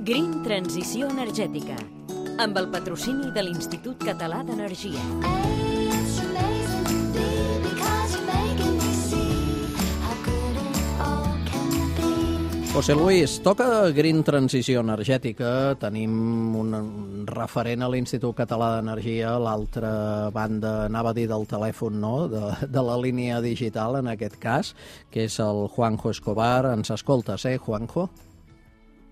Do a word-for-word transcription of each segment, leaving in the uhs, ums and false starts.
Green Transició Energètica, amb el patrocini de l'Institut Català d'Energia. José Luis, toca Green Transició Energètica. Tenim un referent a l'Institut Català d'Energia, a l'altra banda, anava a dir del telèfon, no?, de, de la línia digital, en aquest cas, que és el Juanjo Escobar. Ens escoltes, eh, Juanjo?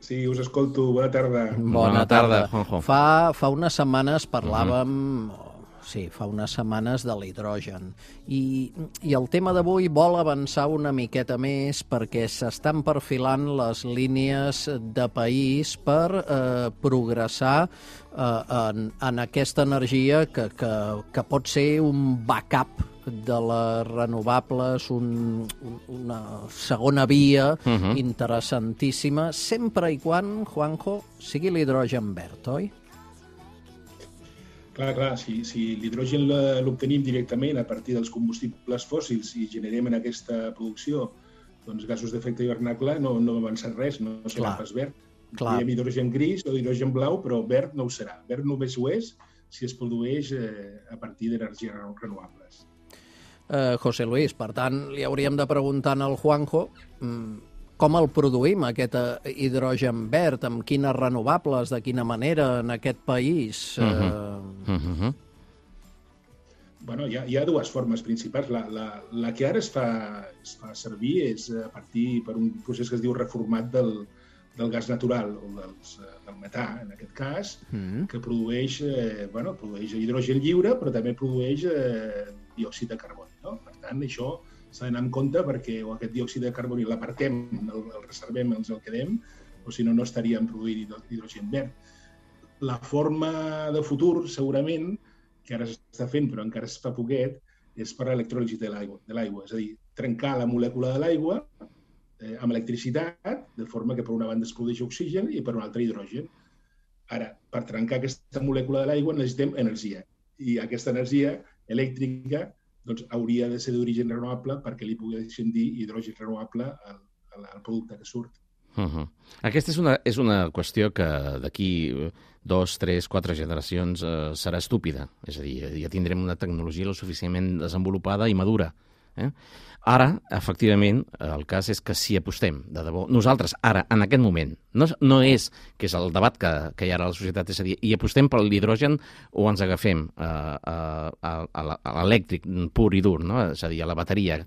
Sí, us escolto. Bona tarda. Bona, Bona tarda, tarda, Juanjo. Fa, fa unes setmanes parlàvem... Uh-huh. Sí, fa unes setmanes de l'hidrogen. I, I el tema d'avui vol avançar una miqueta més perquè s'estan perfilant les línies de país per eh, progressar eh, en, en aquesta energia que, que, que pot ser un backup de les renovables, un, un, una segona via uh-huh. interessantíssima, sempre i quan, Juanjo, sigui l'hidrogen verd, oi? Clar, clar, si, si l'hidrogen l'obtenim directament a partir dels combustibles fòssils i generem en aquesta producció doncs, gasos d'efecte hivernacle, no, no avança res, no serà pas verd. Diem hidrogen gris o hidrogen blau, però verd no ho serà. Verd només ho és si es produeix eh, a partir d'energies renovables. Uh, José Luis, per tant, li hauríem de preguntar al Juanjo um, com el produïm, aquest hidrogen verd, amb quines renovables, de quina manera, en aquest país? Uh-huh. Uh-huh. Bueno, hi ha, hi ha dues formes principals. La, la, la que ara es fa, es fa servir és a partir per un procés que es diu reformat del, del gas natural, o dels, del metà, en aquest cas, uh-huh. que produeix, eh, bueno, produeix hidrogen lliure, però també produeix eh, diòxid de carboni. No? Per tant, això s'ha d'anar en compte perquè o aquest diòxid de carboni l'apartem, el, el reservem, ens el quedem, o si no, no estaríem produint hidrogen verd. La forma de futur, segurament, que ara s'està fent, però encara es fa poquet, és per l'electròlisi de l'aigua. És a dir, trencar la molècula de l'aigua eh, amb electricitat, de forma que per una banda es produeix oxigen i per una altra hidrogen. Ara, per trencar aquesta molècula de l'aigua necessitem energia. I aquesta energia elèctrica doncs hauria de ser d'origen renovable perquè li poguéssim dir hidrogen renovable al, al producte que surt. Uh-huh. Aquesta és una, és una qüestió que d'aquí dos, tres, quatre generacions eh, serà estúpida. És a dir, ja tindrem una tecnologia lo suficientment desenvolupada i madura. Eh? Ara, efectivament, el cas és que si apostem, de debò, nosaltres, ara, en aquest moment, no, no és que és el debat que, que hi ha ara a la societat, és a dir, i apostem per l'hidrogen o ens agafem a, a, a, a l'elèctric pur i dur, no? És a dir, a la bateria,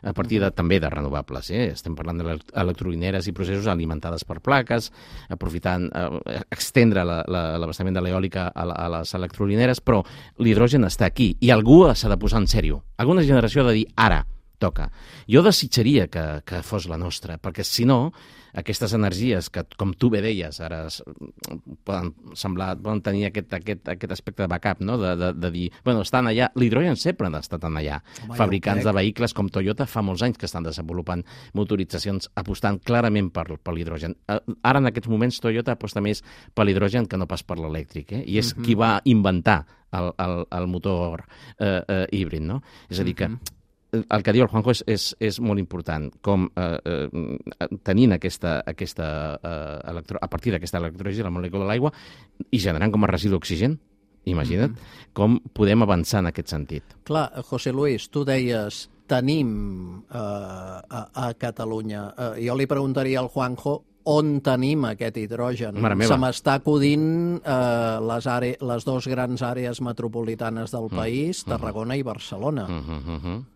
a partir de, també de renovables. Eh? Estem parlant d'electrolineres i processos alimentades per plaques, aprofitant, eh, extendre l'abastament de l'eòlica a, a les electrolineres, però l'hidrogen està aquí i algú s'ha de posar en sèrio. Alguna generació ha de dir, ara, toca. Jo desitjaria que, que fos la nostra, perquè si no, aquestes energies que, com tu bé deies, ara poden semblar, poden tenir aquest, aquest, aquest aspecte de backup, no? de, de, de dir, bueno, estan allà, l'hidrogen sempre ha estat allà. Home, fabricants de vehicles com Toyota fa molts anys que estan desenvolupant motoritzacions apostant clarament per, per l'hidrogen. Ara, en aquests moments, Toyota aposta més per l'hidrogen que no pas per l'elèctric, eh? I és uh-huh. qui va inventar el, el, el motor eh, eh, híbrid, no? És a dir, que uh-huh. el que diu el Juanjo és, és, és molt important, com eh, eh, tenint aquesta, aquesta eh, electro, a partir d'aquesta electròlisi, la molècula de l'aigua, i generant com a residu oxigen, imagina't, mm-hmm. com podem avançar en aquest sentit. Clar, José Luis, tu deies, tenim eh, a, a Catalunya, eh, jo li preguntaria al Juanjo, on tenim aquest hidrogen? Se m'està acudint eh, les, are, les dues grans àrees metropolitanes del país, mm-hmm. Tarragona i Barcelona. Mm-hmm.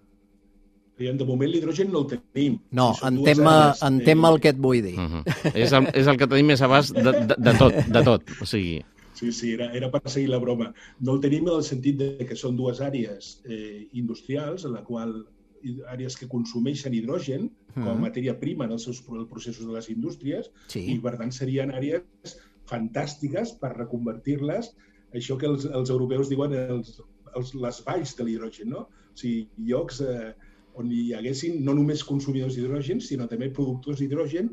De moment l'hidrogen no el tenim. No, si entenc, àrees, entenc eh... el que et vull dir. Uh-huh. és, el, és el que tenim més abast de, de, de tot, de tot. O sigui... Sí, sí, era, era per seguir la broma. No el tenim en el sentit de que són dues àrees eh, industrials, en la qual àrees que consumeixen hidrogen com a uh-huh. matèria prima en els seus processos de les indústries, sí. I per tant serien àrees fantàstiques per reconvertir-les, això que els, els europeus diuen els, els, les valls de l'hidrogen, no? O sigui, llocs... Eh, on hi haguessin no només consumidors d'hidrogen, sinó també productors d'hidrogen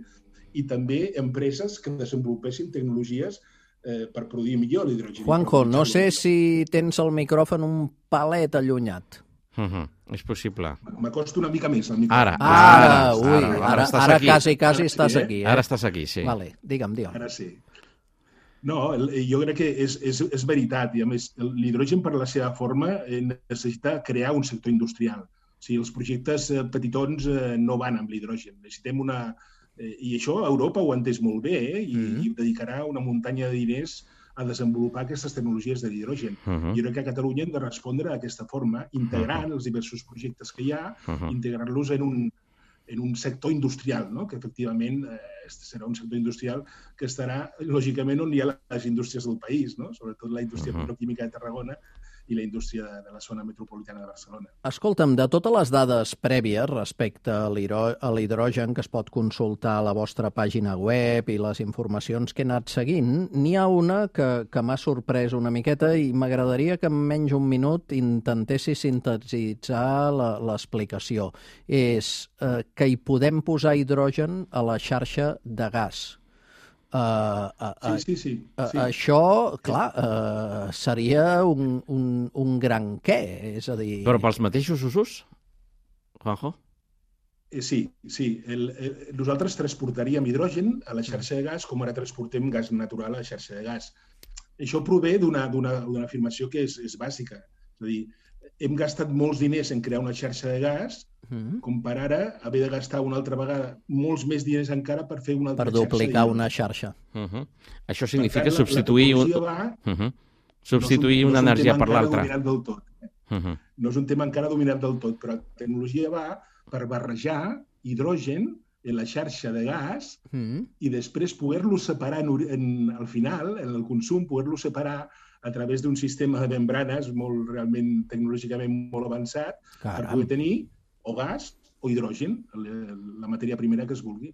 i també empreses que desenvolupessin tecnologies eh, per produir millor l'hidrogen. Juanjo, no sé si tens el micròfon un palet allunyat. Uh-huh. És possible. M'acosto una mica més al micròfon. Ara, ara, ara, ui, ara, ara, ara, ara quasi, quasi ara estàs sí, eh? aquí. Eh? Ara estàs aquí, sí. Vale, digue'm, digue'm. Ara sí. No, el, jo crec que és, és, és veritat, i a més l'hidrogen per la seva forma necessita crear un sector industrial. O sigui, els projectes petitons no van amb l'hidrogen. Necessitem una... I això Europa ho ha entès molt bé, eh? I, mm-hmm. i dedicarà una muntanya de diners a desenvolupar aquestes tecnologies de l'hidrogen. Uh-huh. Jo crec que a Catalunya hem de respondre d'aquesta forma, integrant uh-huh. els diversos projectes que hi ha, uh-huh. integrant-los en un, en un sector industrial, no? Que efectivament eh, serà un sector industrial que estarà, lògicament, on hi ha les indústries del país, no? Sobretot la indústria uh-huh. petroquímica de Tarragona i la indústria de, de la zona metropolitana de Barcelona. Escolta'm, de totes les dades prèvies respecte a l'hidrogen que es pot consultar a la vostra pàgina web i les informacions que he anat seguint, n'hi ha una que, que m'ha sorprès una miqueta i m'agradaria que en menys un minut intentessis sintetitzar l'explicació. És eh, que hi podem posar hidrogen a la xarxa de gas. Uh, uh, uh, sí, sí, sí. Uh, sí. Això, clar, uh, seria un, un, un gran què, és a dir... Però pels mateixos usos, Juanjo? Eh, sí, sí. El, el, nosaltres transportaríem hidrogen a la xarxa de gas com ara transportem gas natural a la xarxa de gas. Això prové d'una afirmació que és, és bàsica. És a dir, hem gastat molts diners en crear una xarxa de gas, mm-hmm. com per ara haver de gastar una altra vegada molts més diners encara per fer una altra xarxa. Per duplicar una xarxa. Uh-huh. Això significa tant, substituir, la, la un... va, uh-huh. substituir no una no energia per l'altra. Uh-huh. No és un tema encara dominat del tot, però la tecnologia va per barrejar hidrogen en la xarxa de gas mm. i després poder-lo separar en, en, al final, en el consum, poder-lo separar a través d'un sistema de membranes molt realment tecnològicament molt avançat. Caram. Per poder tenir o gas o hidrogen, la matèria primera que es vulgui.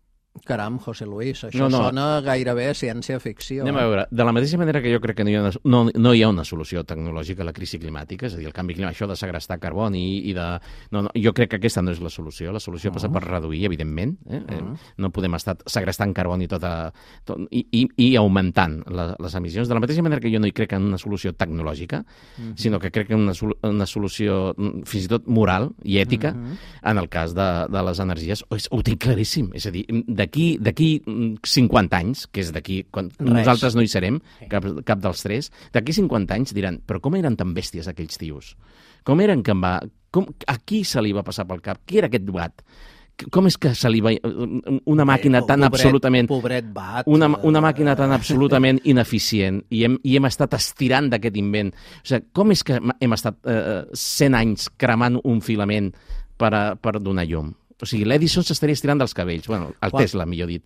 Caram, José Luis, això no, no. sona gairebé ciència-ficció. Anem a veure, de la mateixa manera que jo crec que no hi ha una, no, no hi ha una solució tecnològica a la crisi climàtica, és a dir, el canvi climàtic, això de segrestar carboni i de... No, no, jo crec que aquesta no és la solució. La solució uh-huh. passa per reduir, evidentment. Eh? Uh-huh. No podem estar segrestant carboni tota, tot, i, i, i augmentant la, les emissions. De la mateixa manera que jo no hi crec en una solució tecnològica, uh-huh. sinó que crec en una, una solució fins i tot moral i ètica uh-huh. en el cas de, de les energies. Ho, ho tinc claríssim. És a dir, de D'aquí d'aquí cinquanta anys, que és d'aquí, quan Res. nosaltres no hi serem, cap, cap dels tres, d'aquí cinquanta anys diran, però com eren tan bèsties aquells tios? Com eren que em va... Com, a qui se li va passar pel cap? Qui era aquest bat? Com és que se li va... Una màquina tan pobret, absolutament... Pobret bat. Una, una màquina tan absolutament ineficient i hem, i hem estat estirant d'aquest invent. O sigui, com és que hem estat eh, cent anys cremant un filament per, a, per donar llum? O sigui, l'Edison s'estaria estirant dels cabells. Bueno, el Juan... Tesla, millor dit.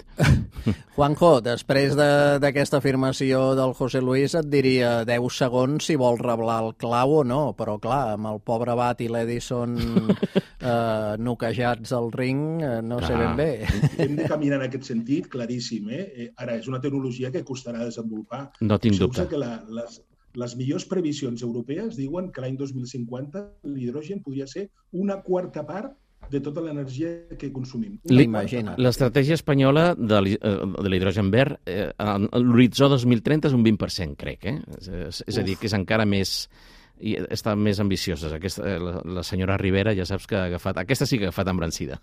Juanjo, després d'aquesta de, afirmació del José Luis et diria deu segons si vol reblar el clau o no, però clar, amb el pobre Bat i l'Edison eh, noquejats al ring, eh, no clar. sé ben bé. Hem de caminar en aquest sentit, claríssim. Eh? Ara, és una tecnologia que costarà desenvolupar. No tinc dubte. Que la, les, les millors previsions europees diuen que l'any dos mil cinquanta l'hidrogen podria ser una quarta part de tota l'energia que consumim. L'estratègia espanyola de l'hidrogen verd, eh, l'horitzó dos mil trenta és un vint per cent, crec. Eh? És, és a dir, que és encara més... i està més ambiciosa. Aquesta, la, la senyora Rivera ja saps que ha agafat... Aquesta sí que ha agafat embrancida.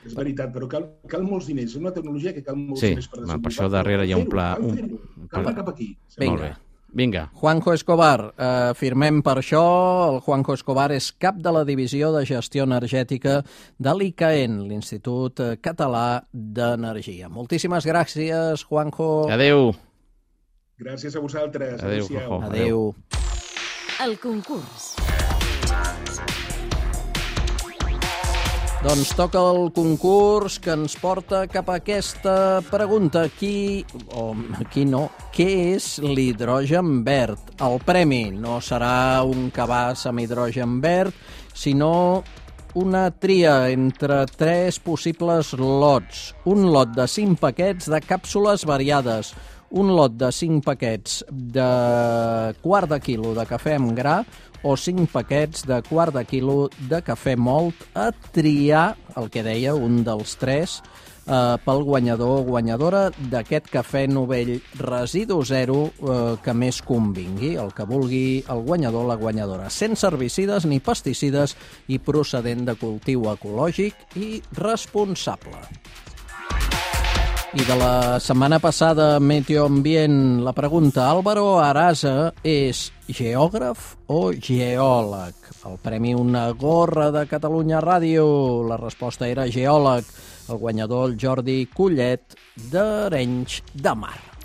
És veritat, però cal, cal molts diners. És una tecnologia que cal molts sí, diners per desenvolupar. Per això darrere hi ha un pla... Un... Cal anar cap aquí. Vinga. Molt bé. Vinga. Juanjo Escobar, eh, firmem per això. El Juanjo Escobar és cap de la Divisió de Gestió Energètica de l'I C A E N, l'Institut Català d'Energia. Moltíssimes gràcies, Juanjo. Adéu. Gràcies a vosaltres. Adéu, Juanjo. Adéu. El concurs. Doncs toca el concurs que ens porta cap a aquesta pregunta. Qui, o qui no, què és l'hidrogen verd? El premi no serà un cabàs amb hidrogen verd, sinó una tria entre tres possibles lots. Un lot de cinc paquets de càpsules variades, un lot de cinc paquets de quart de quilo de cafè amb gra o cinc paquets de quart de quilo de cafè mòlt, a triar, el que deia, un dels tres, eh, pel guanyador o guanyadora d'aquest cafè novell residu zero eh, que més convingui, el que vulgui el guanyador o la guanyadora, sense herbicides ni pesticides i procedent de cultiu ecològic i responsable. I de la setmana passada, Meteoambient, la pregunta: Álvaro Arasa és geògraf o geòleg? El premi Una gorra de Catalunya Ràdio. La resposta era geòleg. El guanyador, el Jordi Collet, d'Arenys de Mar.